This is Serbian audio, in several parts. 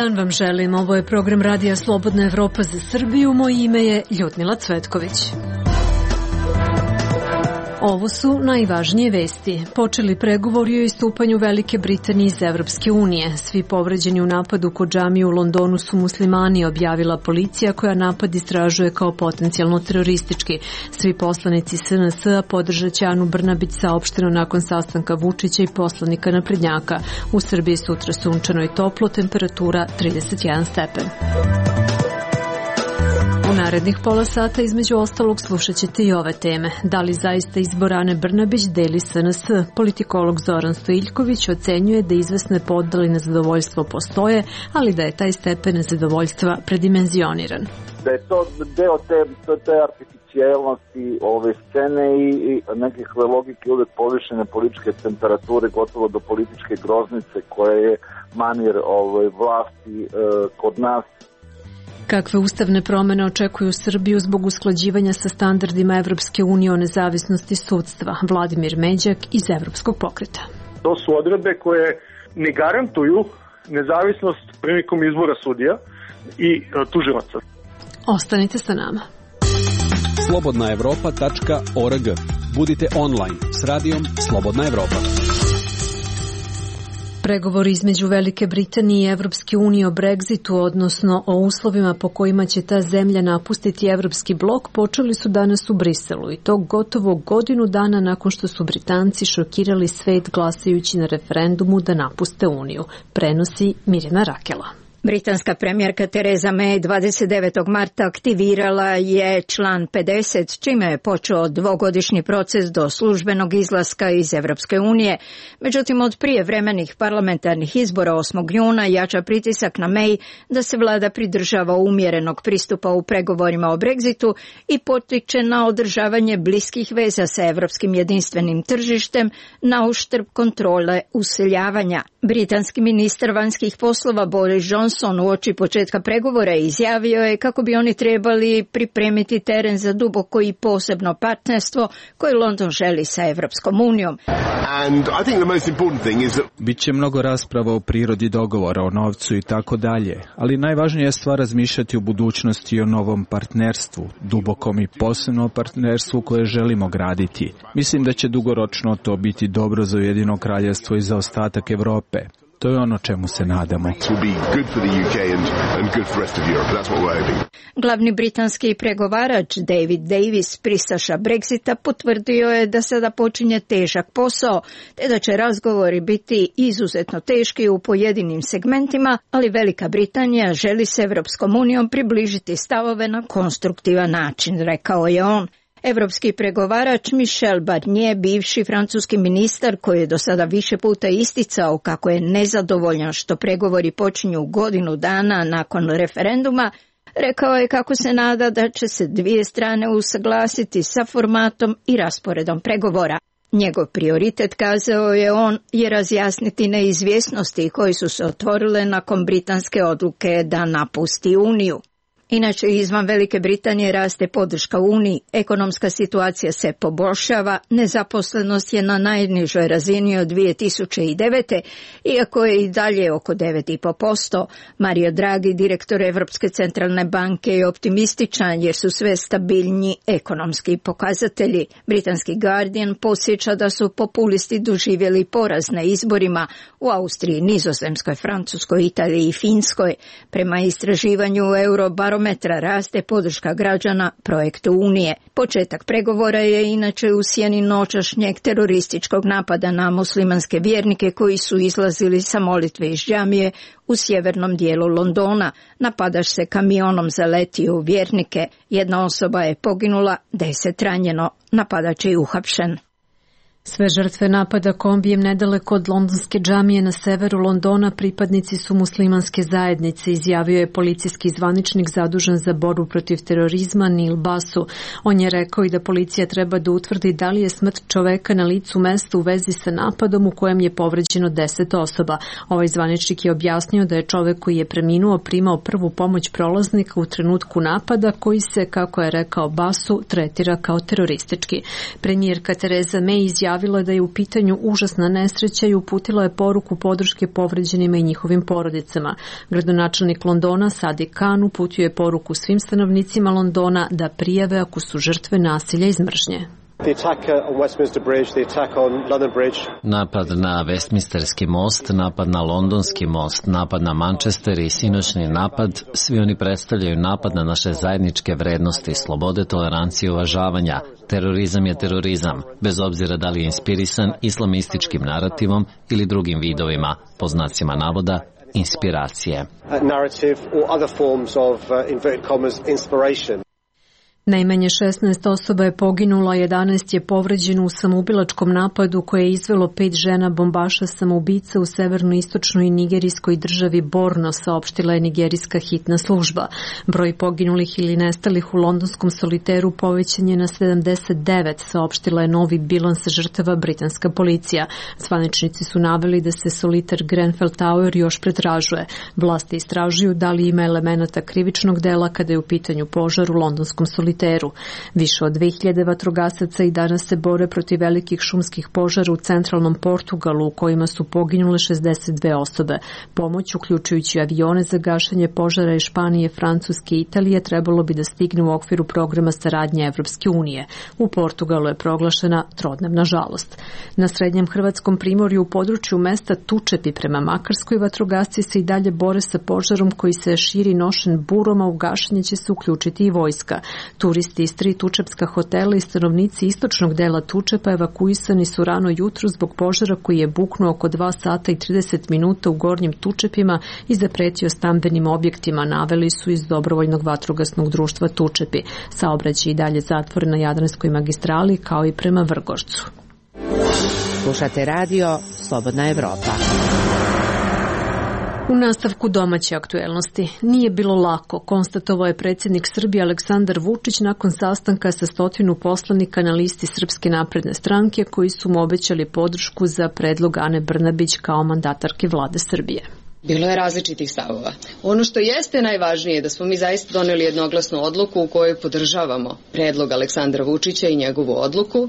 dan vam želim. Ovo je program Radija Slobodna Evropa za Srbiju. Moje ime je Ljudmila Cvetković. Ovo su najvažnije vesti. Počeli pregovori o istupanju Velike Britanije iz Evropske unije. Svi povređeni u napadu kod džamije u Londonu su muslimani, objavila policija koja napad istražuje kao potencijalno teroristički. Svi poslanici SNS-a podržat će Anu Brnabić, saopšteno nakon sastanka Vučića i poslanika naprednjaka. U Srbiji sutra sunčano i toplo, temperatura 31 stepen. U narednih pola sata između ostalog slušat ćete i ove teme. Da li zaista izbor Ane Brnabić deli SNS? Politikolog Zoran Stojiljković ocenjuje da izvesne podele nezadovoljstvo postoje, ali da je taj stepen nezadovoljstva predimenzioniran. Da je to deo te artificijelnosti ove scene i nekakve logike uvek povišene političke temperature, gotovo do političke groznice koja je manir vlasti kod nas. Kakve ustavne promene očekuju Srbiju zbog usklađivanja sa standardima Evropske unije o nezavisnosti sudstva? Vladimir Međak iz Evropskog pokreta. To su odredbe koje ne garantuju nezavisnost prilikom izbora sudija i tužilaca. Ostanite sa nama. slobodnaevropa.org. Budite online s radijom Slobodna Evropa. Pregovori između Velike Britanije i Evropske unije o Brexitu, odnosno o uslovima po kojima će ta zemlja napustiti Evropski blok, počeli su danas u Briselu i to gotovo godinu dana nakon što su Britanci šokirali svet glasajući na referendumu da napuste Uniju. Prenosi Mirjana Rakela. Britanska premijerka Tereza May 29. marta aktivirala je član 50, čime je počeo dvogodišnji proces do službenog izlaska iz Evropske unije. Međutim, od prijevremenih parlamentarnih izbora 8. juna jača pritisak na May da se vlada pridržava umjerenog pristupa u pregovorima o Brexitu i potiče na održavanje bliskih veza sa evropskim jedinstvenim tržištem na uštrb kontrole useljavanja. Britanski ministar vanjskih poslova Boris Johnson uoči početka pregovora izjavio je kako bi oni trebali pripremiti teren za duboko i posebno partnerstvo koje London želi sa Evropskom unijom. Biće mnogo rasprava o prirodi dogovora, o novcu i tako dalje, ali najvažnija je stvar razmišljati o budućnosti i o novom partnerstvu, dubokom i posebnom partnerstvu koje želimo graditi. Mislim da će dugoročno to biti dobro za Ujedinjeno kraljevstvo i za ostatak Evrope. To je ono čemu se nadamo. Glavni britanski pregovarač David Davis, pristaša Brexita, potvrdio je da sada počinje težak posao, te da će razgovori biti izuzetno teški u pojedinim segmentima, ali Velika Britanija želi s Evropskom unijom približiti stavove na konstruktivan način, rekao je on. Evropski pregovarač Michel Barnier, bivši francuski ministar koji je do sada više puta isticao kako je nezadovoljan što pregovori počinju godinu dana nakon referenduma, rekao je kako se nada da će se dvije strane usaglasiti sa formatom i rasporedom pregovora. Njegov prioritet, kazao je on, je razjasniti neizvjesnosti koji su se otvorile nakon britanske odluke da napusti Uniju. Inače, izvan Velike Britanije raste podrška Uniji, ekonomska situacija se poboljšava, nezaposlenost je na najnižoj razini od 2009. iako je i dalje oko 9,5%. Mario Draghi, direktor Evropske centralne banke, je optimističan jer su sve stabilnji ekonomski pokazatelji. Britanski Guardian podsjeća da su populisti doživjeli poraz na izborima u Austriji, Nizozemskoj, Francuskoj, Italiji i Finskoj. Prema istraživanju Eurobarometra raste podrška građana projektu Unije. Početak pregovora je inače u sjeni noćašnjeg terorističkog napada na muslimanske vjernike koji su izlazili sa molitve iz džamije u sjevernom dijelu Londona. Napadač se kamionom zaletio u vjernike. Jedna osoba je poginula, 10 ranjeno. Napadač je uhapšen. Sve žrtve napada kombijem nedaleko od londonske džamije na severu Londona pripadnici su muslimanske zajednice, izjavio je policijski zvaničnik zadužen za borbu protiv terorizma Neil Basu. On je rekao i da policija treba da utvrdi da li je smrt čoveka na licu mesta u vezi sa napadom u kojem je povređeno 10 osoba. Ovaj zvaničnik je objasnio da je čovek koji je preminuo primao prvu pomoć prolaznika u trenutku napada koji se, kako je rekao Basu, tretira kao teroristički. Premijerka Tereza May izjavila izjavila da je u pitanju užasna nesreća i uputila je poruku podrške povređenima i njihovim porodicama. Gradonačelnik Londona Sadiq Khan uputio je poruku svim stanovnicima Londona da prijave ako su žrtve nasilja iz mržnje. Napad na Westminsterski most, napad na Londonski most, napad na Manchester i sinoćni napad, svi oni predstavljaju napad na naše zajedničke vrednosti, slobode, tolerancije i uvažavanja. Terorizam je terorizam, bez obzira da li je inspirisan islamističkim narativom ili drugim vidovima, po znacima navoda, inspiracije. Najmanje 16 osoba je poginulo, a 11 je povređeno u samoubilačkom napadu koje je izvelo 5 žena bombaša samoubica u severno-istočnoj nigerijskoj državi Borno, saopštila je nigerijska hitna služba. Broj poginulih ili nestalih u londonskom soliteru povećan je na 79, saopštila je novi bilans žrtava britanska policija. Zvaničnici su naveli da se soliter Grenfell Tower još pretražuje. Vlasti istražuju da li ima elemenata krivičnog dela kada je u pitanju požar u londonskom soliteru. Više od 2000 vatrogasaca i danas se bore protiv velikih šumskih požara u centralnom Portugalu u kojima su poginule 62 osobe. Pomoć, uključujući avione za gašenje požara iz Španije, Francuske i Italije, trebalo bi da stigne u okviru programa saradnje Evropske unije. U Portugalu je proglašena trodnevna žalost. Na srednjem hrvatskom primorju u području mesta Tučepi prema Makarskoj vatrogasci se i dalje bore sa požarom koji se širi nošen burom, a u gašenje će se uključiti i vojska. Turisti iz 3 tučepska hotela i stanovnici istočnog dela Tučepa evakuisani su rano jutro zbog požara koji je buknuo oko 2 sata i 30 minuta u Gornjim Tučepima i zapretio stambenim objektima, naveli su iz Dobrovoljnog vatrogasnog društva Tučepi. Saobraćaj i dalje zatvoren na Jadranskoj magistrali kao i prema Vrgorcu. Slušate radio Slobodna Evropa. U nastavku domaće aktuelnosti. Nije bilo lako, konstatovao je predsjednik Srbije Aleksandar Vučić nakon sastanka sa 100 poslanika na listi Srpske napredne stranke koji su mu obećali podršku za predlog Ane Brnabić kao mandatarke vlade Srbije. Bilo je različitih stavova. Ono što jeste najvažnije je da smo mi zaista doneli jednoglasnu odluku u kojoj podržavamo predlog Aleksandra Vučića i njegovu odluku.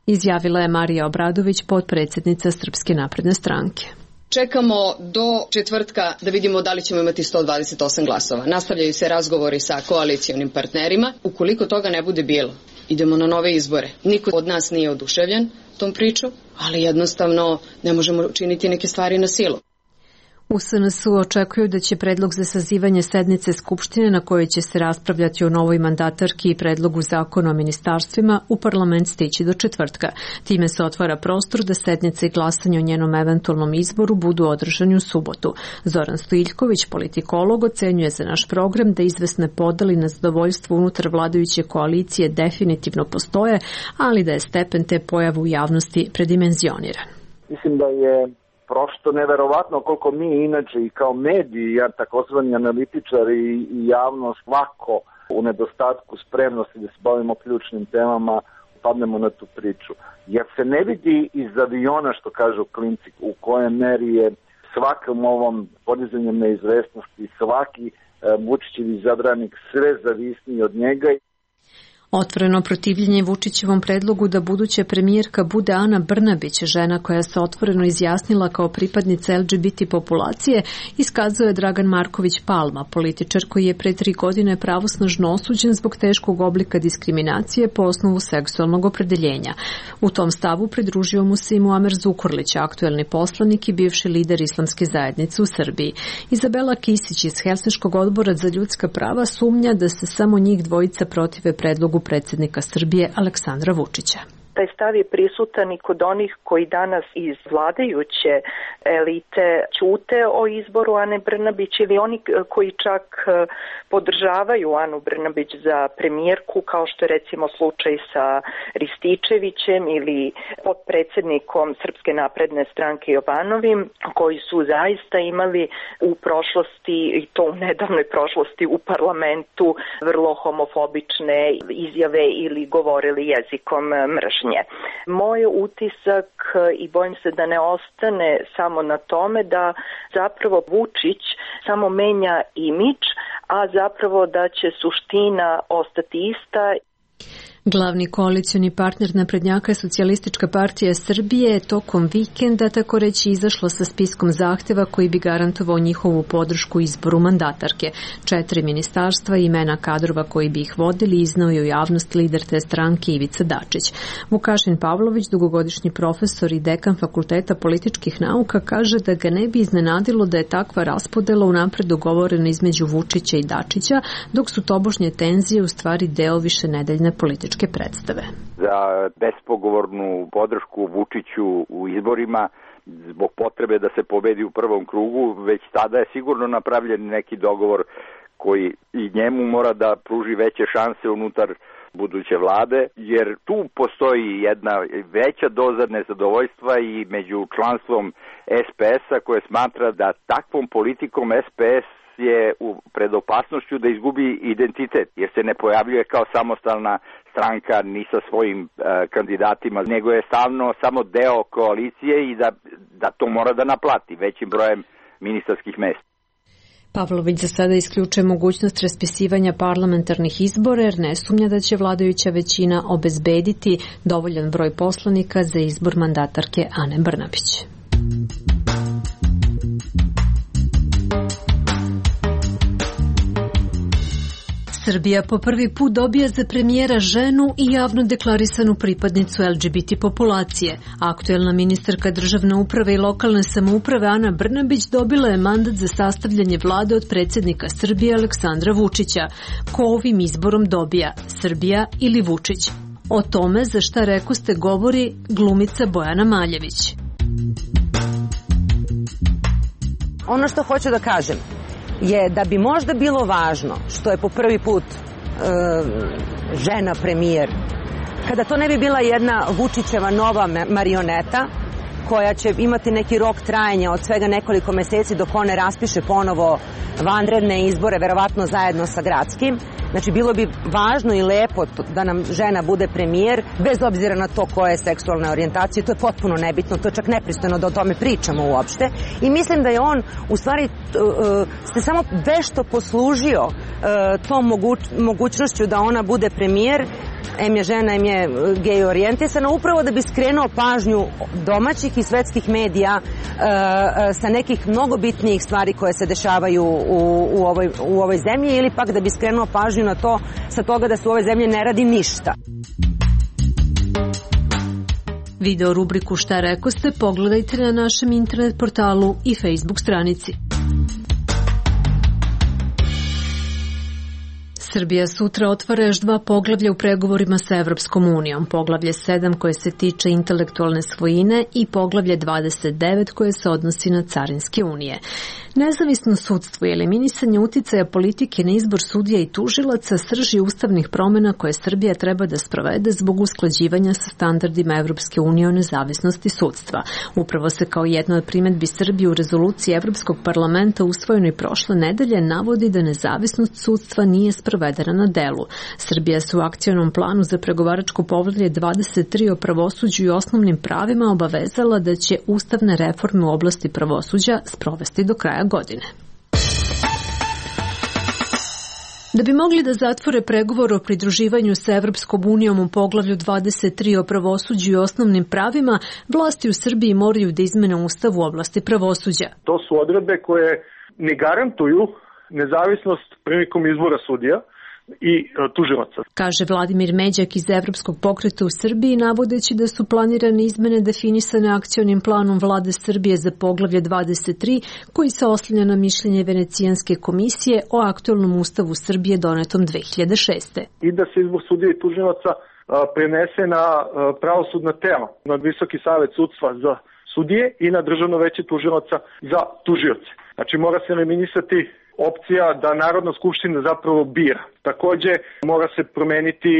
Izjavila je Marija Obradović, potpredsjednica Srpske napredne stranke. Čekamo do četvrtka da vidimo da li ćemo imati 128 glasova. Nastavljaju se razgovori sa koalicionim partnerima. Ukoliko toga ne bude bilo, idemo na nove izbore. Niko od nas nije oduševljen tom priču, ali jednostavno ne možemo učiniti neke stvari na silu. U SNS-u očekuju da će predlog za sazivanje sednice Skupštine na kojoj će se raspravljati o novoj mandatarki i predlogu zakona o ministarstvima u parlament stići do četvrtka. Time se otvara prostor da sednica i glasanje o njenom eventualnom izboru budu održani u subotu. Zoran Stojiljković, politikolog, ocenjuje za naš program da izvesne podeli na zadovoljstvo unutar vladajuće koalicije definitivno postoje, ali da je stepen te pojave u javnosti predimenzioniran. Mislim da je prosto neverovatno koliko mi inače i kao mediji, takozvani analitičari i javnost lako u nedostatku spremnosti da se bavimo ključnim temama padnemo na tu priču. Jer se ne vidi iz aviona, što kažu klinci, u kojem meri je svakom ovom podizanjem neizvesnosti svaki Vučićev izabranik sve zavisniji od njega. Otvoreno protivljenje Vučićevom predlogu da buduća premijerka bude Ana Brnabić, žena koja se otvoreno izjasnila kao pripadnica LGBT populacije, iskazuje Dragan Marković Palma, političar koji je pre 3 godine pravosnažno osuđen zbog teškog oblika diskriminacije po osnovu seksualnog opredeljenja. U tom stavu pridružio mu se i Muamer Zukorlić, aktuelni poslanik i bivši lider islamske zajednice u Srbiji. Izabela Kisić iz Helsinškog odbora za ljudska prava sumnja da se samo njih dvojica protive predlogu predsjednika Srbije Aleksandra Vučića. Taj stav je prisutan i kod onih koji danas iz vladajuće elite ćute o izboru Ane Brnabić ili oni koji čak podržavaju Anu Brnabić za premijerku, kao što je recimo slučaj sa Rističevićem ili potpredsjednikom Srpske napredne stranke Jovanovim, koji su zaista imali u prošlosti, i to u nedavnoj prošlosti u parlamentu, vrlo homofobične izjave ili govorili jezikom mržnje. Moj utisak, i bojim se da ne ostane samo na tome, da zapravo Vučić samo menja imidž, a zapravo da će suština ostati ista. Glavni koalicioni partner naprednjaka je Socijalistička partija Srbije tokom vikenda tako reći izašla sa spiskom zahteva koji bi garantovao njihovu podršku izboru mandatarke. 4 ministarstva i imena kadrova koji bi ih vodili iznao je u javnost lider te stranke Ivica Dačić. Vukašin Pavlović, dugogodišnji profesor i dekan Fakulteta političkih nauka, kaže da ga ne bi iznenadilo da je takva raspodela unapred dogovorena između Vučića i Dačića, dok su tobožnje tenzije u stvari deo višenedeljne političke predstave. Za bespogovornu podršku Vučiću u izborima zbog potrebe da se pobedi u prvom krugu, već tada je sigurno napravljen neki dogovor koji i njemu mora da pruži veće šanse unutar buduće vlade, jer tu postoji jedna veća doza nezadovoljstva i među članstvom SPS-a koje smatra da takvom politikom SPS je pred opasnošću da izgubi identitet, jer se ne pojavljuje kao samostalna stranka ni sa svojim kandidatima, nego je samo deo koalicije i da to mora da naplati većim brojem ministarskih mesta. Pavlović za sada isključuje mogućnost raspisivanja parlamentarnih izbora jer ne sumnja da će vladajuća većina obezbediti dovoljan broj poslanika za izbor mandatarke Ane Brnabić. Srbija po prvi put dobija za premijera ženu i javno deklarisanu pripadnicu LGBT populacije. Aktuelna ministarka državne uprave i lokalne samouprave Ana Brnabić dobila je mandat za sastavljanje vlade od predsjednika Srbije Aleksandra Vučića. Ko ovim izborom dobija, Srbija ili Vučić? O tome za šta rekoste govori glumica Bojana Maljević. Ono što hoću da kažem je da bi možda bilo važno što je po prvi put žena premijer, kada to ne bi bila jedna Vučićeva nova marioneta koja će imati neki rok trajanja od svega nekoliko meseci dok on ne raspiše ponovo vanredne izbore, verovatno zajedno sa gradskim. Znači, bilo bi važno i lepo da nam žena bude premijer, bez obzira na to koje je seksualne orijentacije. To je potpuno nebitno, to je čak nepristojno da o tome pričamo uopšte. I mislim da je on, u stvari, se samo vešto poslužio tom mogućnošću da ona bude premijer, em je žena, em je gej orijentisana, upravo da bi skrenuo pažnju domaćih i svetskih medija sa nekih mnogo bitnijih stvari koje se dešavaju u ovoj zemlji, ili pak da bi skrenuo pažnju na to sa toga da se u ovoj zemlji ne radi ništa. Video rubriku Šta rekoste pogledajte na našem internet portalu i Facebook stranici. Srbija sutra otvara još 2 poglavlja u pregovorima sa Evropskom unijom. Poglavlje 7 koje se tiče intelektualne svojine i poglavlje 29 koje se odnosi na carinske unije. Nezavisno sudstvo i eliminisanje uticaja politike na izbor sudija i tužilaca srži ustavnih promjena koje Srbija treba da sprovede zbog usklađivanja sa standardima Evropske unije o nezavisnosti sudstva. Upravo se kao jedna od primedbi Srbije u rezoluciji Evropskog parlamenta usvojenoj prošle nedelje navodi da nezavisnost sudstva nije sprovedena na delu. Srbija se u akcionom planu za pregovaračko poglavlje 23 o pravosuđu i osnovnim pravima obavezala da će ustavne reforme u oblasti pravosuđa sprovesti do kraja godine. Da bi mogli da zatvore pregovor o pridruživanju sa Evropskom unijom u poglavlju 23 o pravosuđu i osnovnim pravima, vlasti u Srbiji moraju da izmene ustav u oblasti pravosuđa. To su odredbe koje ne garantuju nezavisnost prilikom izbora sudija i tužilaca. Kaže Vladimir Međak iz Evropskog pokreta u Srbiji, navodeći da su planirane izmene definisane akcionim planom vlade Srbije za poglavlje 23, koji se oslanja na mišljenje Venecijanske komisije o aktuelnom ustavu Srbije donetom 2006. I da se izbor sudija i tužilaca prenese na pravosudna tela, na Visoki savet sudstva za sudije i na Državno veće tužilaca za tužioce. Znači, mora se eliminisati opcija da Narodna skupština zapravo bira. Takođe, mora se promeniti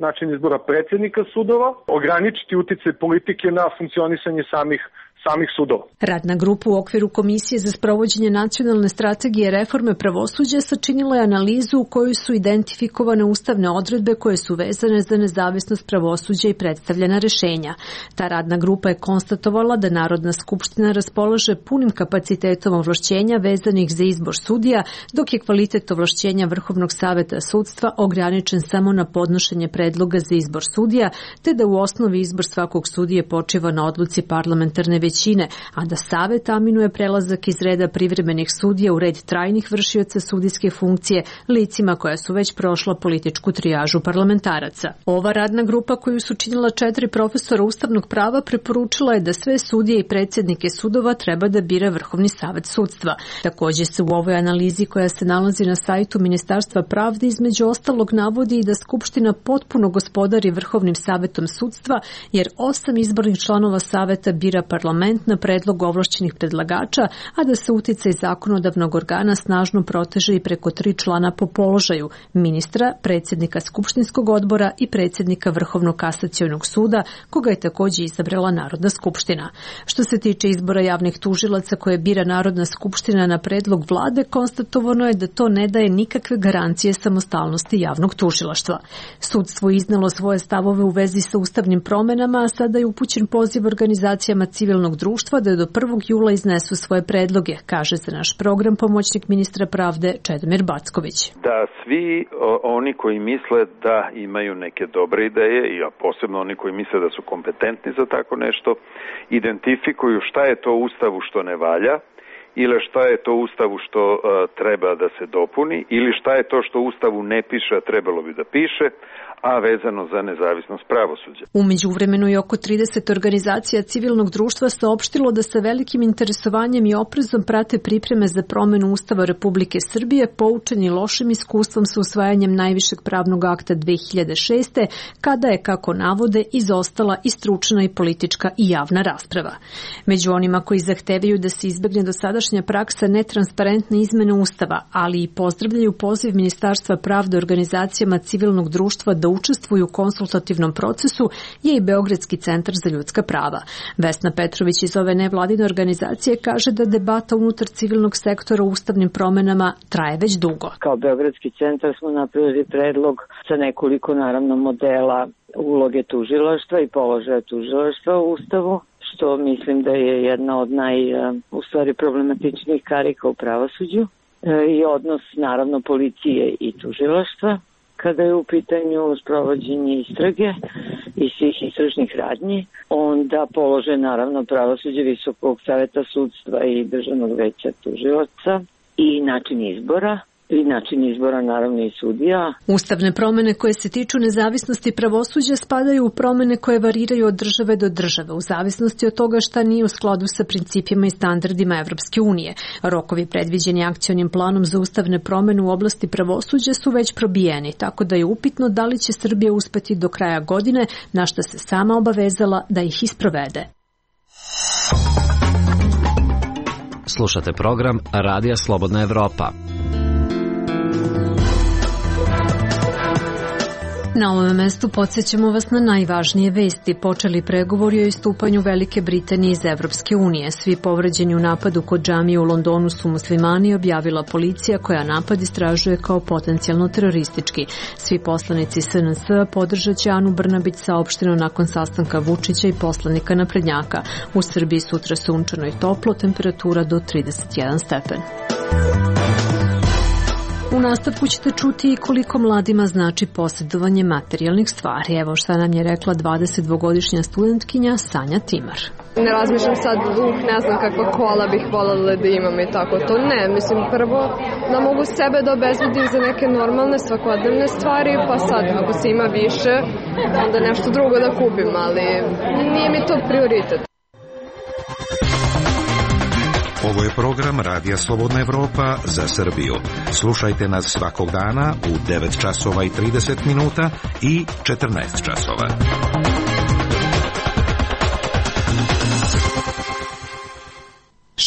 način izbora predsjednika sudova, ograničiti uticaj politike na funkcionisanje samih sudova. Radna grupa u okviru Komisije za sprovođenje nacionalne strategije reforme pravosuđa sačinila je analizu u kojoj su identifikovane ustavne odredbe koje su vezane za nezavisnost pravosuđa i predstavljena rešenja. Ta radna grupa je konstatovala da Narodna skupština raspolaže punim kapacitetom ovlašćenja vezanih za izbor sudija, dok je kvalitet ovlašćenja Vrhovnog saveta sudstva ograničen samo na podnošenje predloga za izbor sudija, te da u osnovi izbor svakog sudije počiva na odluci parlamentarne većine, a da savet aminuje prelazak iz reda privremenih sudija u red trajnih vršioca sudijske funkcije licima koja su već prošla političku trijažu parlamentaraca. Ova radna grupa koju su činila 4 profesora ustavnog prava preporučila je da sve sudije i predsjednike sudova treba da bira Vrhovni savet sudstva. Također se u ovoj analizi koja se nalazi na sajtu Ministarstva pravde između ostalog navodi i da Skupština potpuno gospodari Vrhovnim savetom sudstva, jer 8 izbornih članova saveta bira parlament na predlog ovlašćenih predlagača, a da se uticaj zakonodavnog organa snažno proteže i preko 3 člana po položaju: ministra, predsjednika Skupštinskog odbora i predsjednika Vrhovnog kasacionog suda, koga je također izabrala Narodna skupština. Što se tiče izbora javnih tužilaca koje bira Narodna skupština na predlog vlade, konstatovano je da to ne daje nikakve garancije samostalnosti javnog tužilaštva. Sudstvo iznalo svoje stavove u vezi sa ustavnim promenama, a sada je upućen poziv organizacijama civilnog društva da do 1. jula iznesu svoje predloge, kaže za naš program pomoćnik ministra pravde Čedomir Backović. Da svi oni koji misle da imaju neke dobre ideje, i posebno oni koji misle da su kompetentni za tako nešto, identifikuju šta je to u Ustavu što ne valja, ili šta je to u Ustavu što treba da se dopuni, ili šta je to što u Ustavu ne piše, a trebalo bi da piše, a vezano za nezavisnost pravosuđa. U međuvremenu je oko 30 organizacija civilnog društva saopštilo da sa velikim interesovanjem i oprezom prate pripreme za promenu Ustava Republike Srbije, poučeni lošim iskustvom sa usvajanjem najvišeg pravnog akta 2006. kada je, kako navode, izostala i stručna i politička i javna rasprava. Među onima koji zahtevaju da se izbegne dosadašnja praksa netransparentne izmene Ustava, ali i pozdravljaju poziv Ministarstva pravde organizacijama civilnog društva da učestvuju u konsultativnom procesu, je i Beogradski centar za ljudska prava. Vesna Petrović iz ove nevladine organizacije kaže da debata unutar civilnog sektora u ustavnim promenama traje već dugo. Kao Beogradski centar smo napravili predlog sa nekoliko naravno modela uloge tužilaštva i položaja tužilaštva u Ustavu, što mislim da je jedna od problematičnijih karika u pravosuđu, i odnos naravno policije i tužilaštva kada je u pitanju sprovođenje istrage i svih istražnih radnji, onda polože naravno pravosuđe Visokog saveta sudstva i Državnog veća tužilaca i način izbora naravno i sudija. Ustavne promene koje se tiču nezavisnosti pravosuđa spadaju u promene koje variraju od države do države, u zavisnosti od toga šta nije u skladu sa principima i standardima Evropske unije. Rokovi predviđeni akcionim planom za ustavne promene u oblasti pravosuđa su već probijeni, tako da je upitno da li će Srbija uspeti do kraja godine, na što se sama obavezala da ih isprovede. Slušate program Radija Slobodna Evropa. Na ovom mestu podsjećamo vas na najvažnije vesti. Počeli pregovori o istupanju Velike Britanije iz Evropske unije. Svi povređeni u napadu kod džamije u Londonu su muslimani, objavila policija koja napad istražuje kao potencijalno teroristički. Svi poslanici SNS podržat će Anu Brnabić, saopšteno nakon sastanka Vučića i poslanika naprednjaka. U Srbiji sutra sunčano i toplo, temperatura do 31 stepen. U nastavku ćete čuti i koliko mladima znači posjedovanje materijalnih stvari. Evo šta nam je rekla 22-godišnja studentkinja Sanja Timar. Ne razmišljam sad, ne znam kakva kola bih voljela da imam i tako to. Ne, mislim prvo da mogu sebe da obezbedim za neke normalne svakodnevne stvari, pa sad ako se ima više, onda nešto drugo da kupim, ali nije mi to prioritet. Ovo je program Radija Slobodna Evropa za Srbiju. Slušajte nas svakog dana u 9 časova i 30 minuta i 14 časova.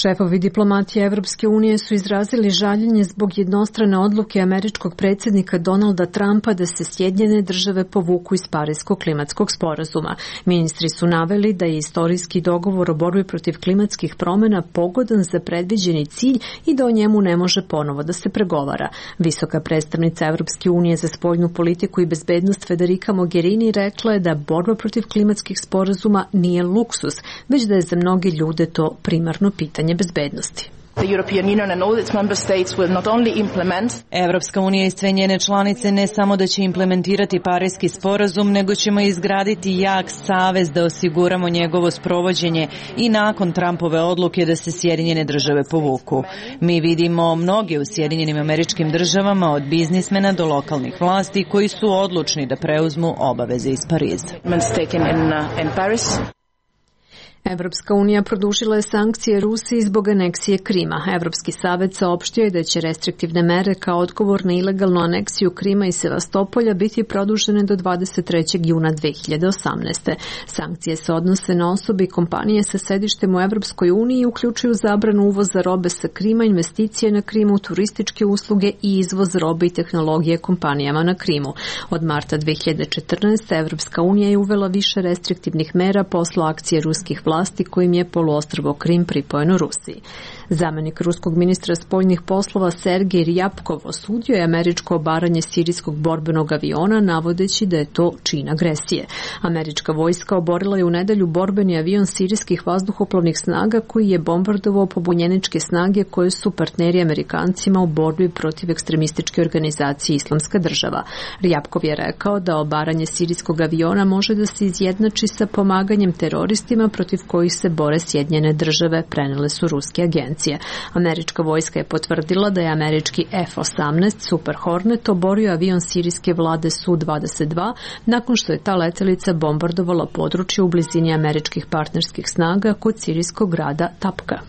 Šefovi diplomatije Evropske unije su izrazili žaljenje zbog jednostrane odluke američkog predsjednika Donalda Trumpa da se Sjedinjene države povuku iz Pariskog klimatskog sporazuma. Ministri su naveli da je istorijski dogovor o borbi protiv klimatskih promjena pogodan za predviđeni cilj i da o njemu ne može ponovo da se pregovara. Visoka predstavnica Evropske unije za spoljnu politiku i bezbednost Federica Mogherini rekla je da borba protiv klimatskih sporazuma nije luksus, već da je za mnoge ljude to primarno pitanje bezbednosti. Evropska unija i sve njene članice ne samo da će implementirati Pariski sporazum, nego ćemo izgraditi jak savez da osiguramo njegovo sprovođenje i nakon Trumpove odluke da se Sjedinjene države povuku. Mi vidimo mnoge u Sjedinjenim Američkim Državama, od biznismena do lokalnih vlasti, koji su odlučni da preuzmu obaveze iz Pariza. Evropska unija produžila je sankcije Rusiji zbog aneksije Krima. Evropski savet saopštio je da će restriktivne mere kao odgovor na ilegalnu aneksiju Krima i Sevastopolja biti produžene do 23. juna 2018. Sankcije se odnose na osobe i kompanije sa sedištem u Evropskoj uniji i uključuju zabranu uvoza robe sa Krima, investicije na Krimu, turističke usluge i izvoz robe i tehnologije kompanijama na Krimu. Od marta 2014. Evropska unija je uvela više restriktivnih mera posle akcije ruskih vlasti kojim je poluostrvo Krim pripojeno Rusiji. Zamenik ruskog ministra spoljnih poslova Sergej Ryabkov osudio je američko obaranje sirijskog borbenog aviona, navodeći da je to čin agresije. Američka vojska oborila je u nedelju borbeni avion sirijskih vazduhoplovnih snaga koji je bombardovao pobunjeničke snage koje su partneri Amerikancima u borbi protiv ekstremističke organizacije Islamska država. Ryabkov je rekao da obaranje sirijskog aviona može da se izjednači sa pomaganjem teroristima protiv kojih se bore Sjedinjene države, prenele su ruske agencije. Američka vojska je potvrdila da je američki F-18 Super Hornet oborio avion sirijske vlade Su-22 nakon što je ta letelica bombardovala područje u blizini američkih partnerskih snaga kod sirijskog grada Tapka.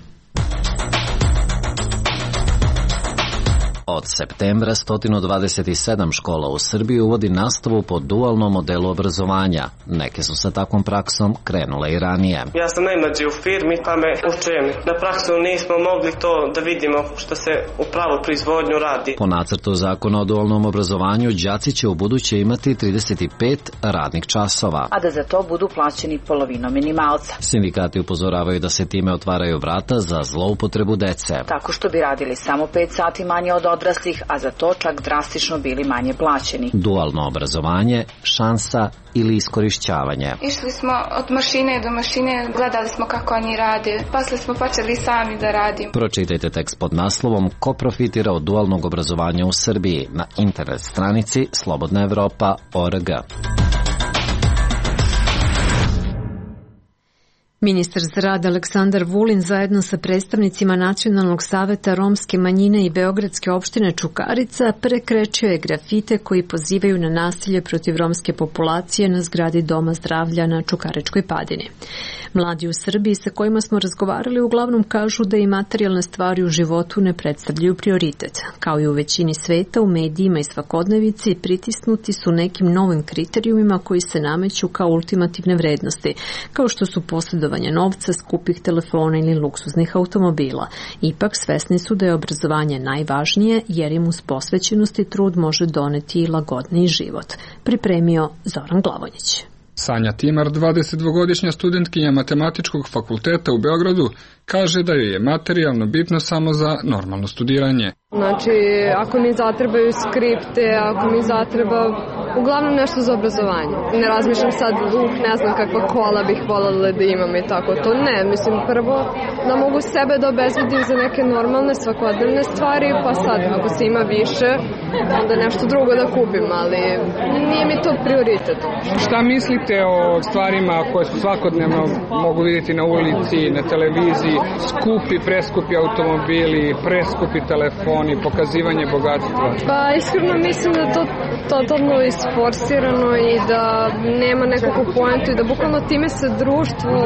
Od septembra 127 škola u Srbiji uvodi nastavu po dualnom modelu obrazovanja. Neke su sa takvom praksom krenule i ranije. Ja sam najmlađi u firmi, pa me učeni. Na praksu nismo mogli to da vidimo što se u pravu proizvodnju radi. Po nacrtu zakona o dualnom obrazovanju, đaci će u buduće imati 35 radnih časova, a da za to budu plaćeni polovinom minimalca. Sindikati upozoravaju da se time otvaraju vrata za zloupotrebu dece. Tako što bi radili samo 5 sati manje od odraslih, a za to čak drastično bili manje plaćeni. Dualno obrazovanje, šansa ili iskorišćavanje. Išli smo od mašine do mašine, gledali smo kako oni rade, posle smo počeli sami da radimo. Pročitajte tekst pod naslovom Ko profitira od dualnog obrazovanja u Srbiji na internet stranici slobodnaevropa.org. Ministar za rad Aleksandar Vulin zajedno sa predstavnicima Nacionalnog saveta romske manjine i Beogradske opštine Čukarica prekrečio je grafite koji pozivaju na nasilje protiv romske populacije na zgradi Doma zdravlja na Čukaričkoj padini. Mladi u Srbiji sa kojima smo razgovarali uglavnom kažu da i materijalne stvari u životu ne predstavljaju prioritet. Kao i u većini sveta, u medijima i svakodnevici pritisnuti su nekim novim kriterijumima koji se nameću kao ultimativne vrednosti, kao što su posjedovanje novca, skupih telefona ili luksuznih automobila. Ipak svesni su da je obrazovanje najvažnije jer im uz posvećenost i trud može doneti i lagodniji život. Pripremio Zoran Glavonjić. Sanja Timar, 22-godišnja studentkinja Matematičkog fakulteta u Beogradu, kaže da joj je materijalno bitno samo za normalno studiranje. Znači, ako mi zatrebaju skripte, ako mi zatreba uglavnom nešto za obrazovanje. Ne razmišljam sad, ne znam kakva kola bih voljela da imam i tako to. Ne, mislim prvo da mogu sebe da obezbedim za neke normalne svakodnevne stvari, pa sad ako se ima više, onda nešto drugo da kupim, ali nije mi to prioritet. Šta mislite o stvarima koje su svakodnevno mogu vidjeti na ulici, na televiziji, skupi, preskupi automobili, preskupi telefoni, pokazivanje bogatstva? Pa iskreno mislim da to totalno isforsirano i da nema nekakvu poentu i da bukvalno time se društvo,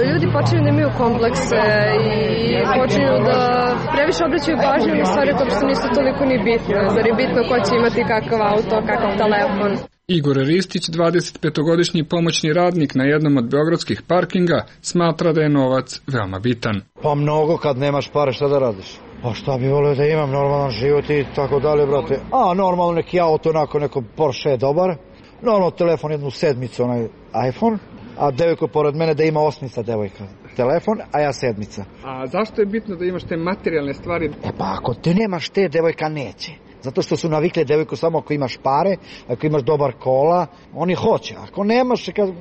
ljudi počinju da imaju komplekse i počinju da previše obraćaju pažnju na stvari koje što nisu toliko ni bitne. Zar je bitno ko će imati kakav auto, kakav telefon? Igor Ristić, 25-godišnji pomoćni radnik na jednom od beogradskih parkinga, smatra da je novac veoma bitan. Pa mnogo, kad nemaš pare, šta da radiš? Pa šta bi volio da imam normalan život i tako dalje, brate. Normalno neki auto, onako neko Porsche je dobar. Normalno telefon, jednu sedmicu, onaj iPhone. A devojko pored mene da ima 8 devojka telefon, a ja 7. A zašto je bitno da imaš te materijalne stvari? Pa ako te nemaš te, devojka neće. Zato što su navikle devojku samo ako imaš pare, ako imaš dobar kola, oni hoće. Ako nemaš, kaže,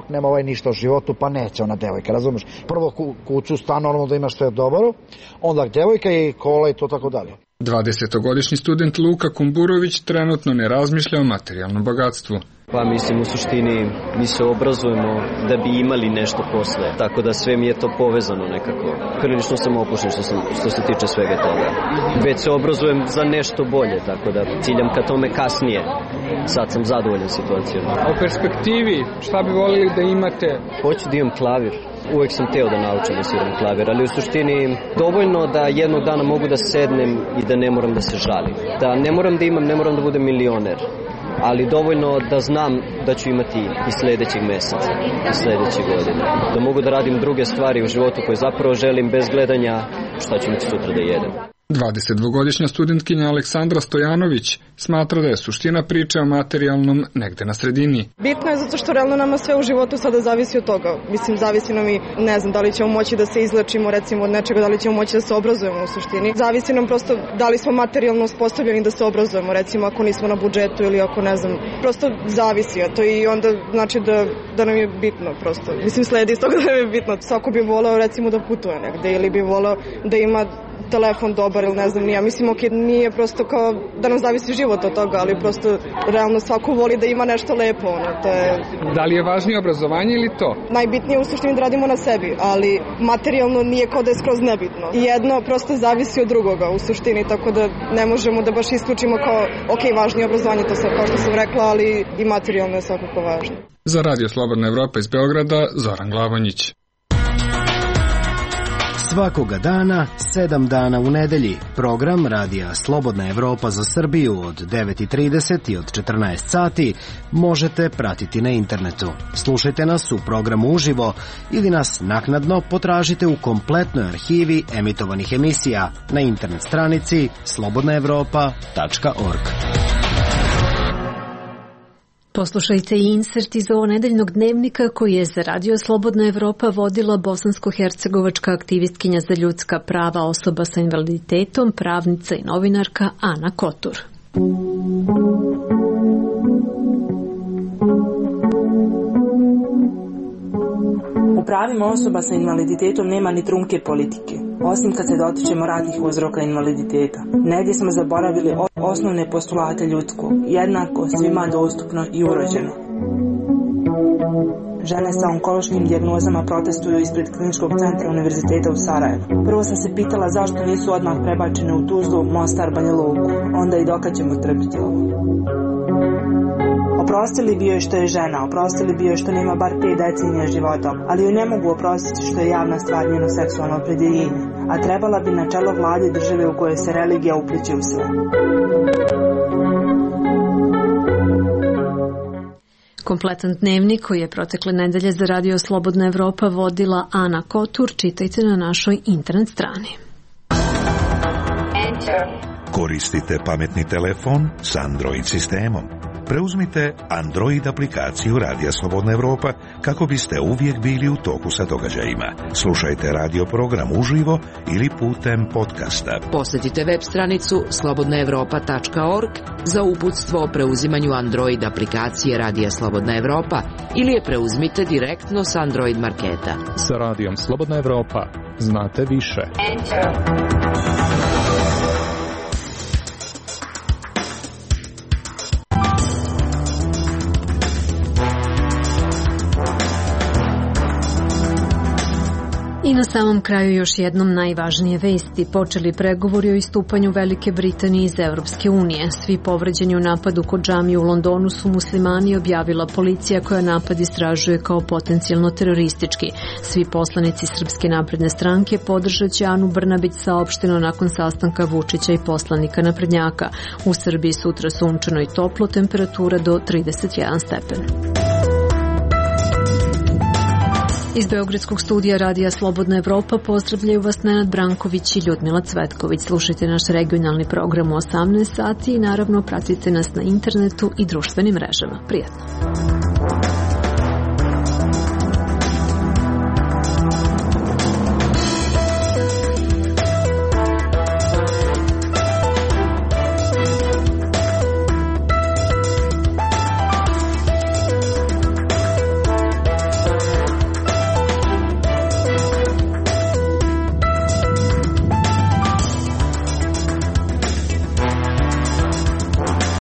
nema ovaj ništa u životu, pa neće ona devojka, razumeš? Prvo kuću, stan, normalno da imaš sve dobro, onda devojka i kola i to tako dalje. 20-godišnji student Luka Kumburović trenutno ne razmišlja o materijalnom bogatstvu. Pa mislim, u suštini mi se obrazujemo da bi imali nešto posle, tako da sve mi je to povezano nekako. Prilično sam opušten što se tiče svega toga. Već se obrazujem za nešto bolje, tako da ciljam ka tome kasnije. Sad sam zadovoljan situacijom. A u perspektivi, šta bi volili da imate? Hoću da imam klavir. Uvek sam teo da naučim da sviram klavir, ali u suštini dovoljno da jednog dana mogu da sednem i da ne moram da se žalim. Da ne moram da imam, ne moram da budem milioner, ali dovoljno da znam da ću imati i sledećeg meseca, i sledeće godine. Da mogu da radim druge stvari u životu koje zapravo želim bez gledanja šta ću imati sutra da jedem. 22-godišnja studentkinja Aleksandra Stojanović smatra da je suština priče o materijalnom negde na sredini. Bitno je zato što realno nama sve u životu sada zavisi od toga. Mislim, zavisi nam i, ne znam, da li ćemo moći da se izlečimo recimo od nečega, da li ćemo moći da se obrazujemo u suštini. Zavisi nam prosto da li smo materijalno uspostavljeni da se obrazujemo, recimo ako nismo na budžetu ili ako ne znam, prosto zavisi, a to i onda znači da nam je bitno prosto. Mislim, sledi iz toga da nam je bitno. Svako bi voleo recimo da putuje negde ili bi voleo da ima telefon dobar ili ne znam nija. Mislim, nije prosto kao da nam zavisi život od toga, ali prosto realno svako voli da ima nešto lepo. To je... Da li je važnije obrazovanje ili to? Najbitnije u suštini da radimo na sebi, ali materijalno nije kao da je skroz nebitno. Jedno prosto zavisi od drugoga u suštini, tako da ne možemo da baš isključimo kao važnije obrazovanje, to sam, kao što sam rekla, ali i materijalno je svakako važno. Za Radio Slobodna Evropa iz Beograda, Zoran Glavonjić. Svakoga dana, 7 dana u nedelji, program Radija Slobodna Evropa za Srbiju od 9:30 i od 14 sati možete pratiti na internetu. Slušajte nas u programu uživo ili nas naknadno potražite u kompletnoj arhivi emitovanih emisija na internet stranici slobodnaevropa.org. Poslušajte i insert iz ovo nedeljnog dnevnika koji je za Radio Slobodna Evropa vodila bosansko-hercegovačka aktivistkinja za ljudska prava osoba sa invaliditetom, pravnica i novinarka Ana Kotur. U pravima osoba sa invaliditetom nema ni trunke politike, osim kad se dotičemo raznih uzroka invaliditeta. Negdje smo zaboravili osnovne postulate ljudskog, jednako, svima dostupno i urođeno. Žene sa onkološkim dijagnozama protestuju ispred Kliničkog centra Univerziteta u Sarajevu. Prvo sam se pitala zašto nisu odmah prebačene u Tuzlu, Mostar, Banja Luku. Onda i dokad ćemo trpiti ovo. Oprostili bi joj što je žena, oprostili bi joj što nema bar 5 decenija života, ali joj ne mogu oprostiti što je javna stvar njeno seksualno opredjeljenje, a trebala bi na čelo vlade države u kojoj se religija upliće u sve. Kompletan dnevnik koji je protekle nedelje za Radio Slobodna Evropa vodila Ana Kotur, čitajte na našoj internet strani. Koristite pametni telefon s Android sistemom. Preuzmite Android aplikaciju Radija Slobodna Evropa kako biste uvijek bili u toku sa događajima. Slušajte radio program uživo ili putem podcasta. Posjetite web stranicu slobodnaevropa.org za uputstvo o preuzimanju Android aplikacije Radija Slobodna Evropa ili je preuzmite direktno s Android marketa. Sa Radijom Slobodna Evropa znate više. I na samom kraju još jednom najvažnije vesti. Počeli pregovori o istupanju Velike Britanije iz Evropske unije. Svi povređeni u napadu kod džamije u Londonu su muslimani, objavila policija koja napad istražuje kao potencijalno teroristički. Svi poslanici Srpske napredne stranke podržat će Anu Brnabić, saopšteno nakon sastanka Vučića i poslanika naprednjaka. U Srbiji sutra sunčano i toplo, temperatura do 31 stepen. Iz Beogradskog studija Radija Slobodna Evropa pozdravljaju vas Nenad Branković i Ljudmila Cvetković. Slušajte naš regionalni program u 18 sati i naravno pratite nas na internetu i društvenim mrežama. Prijatno!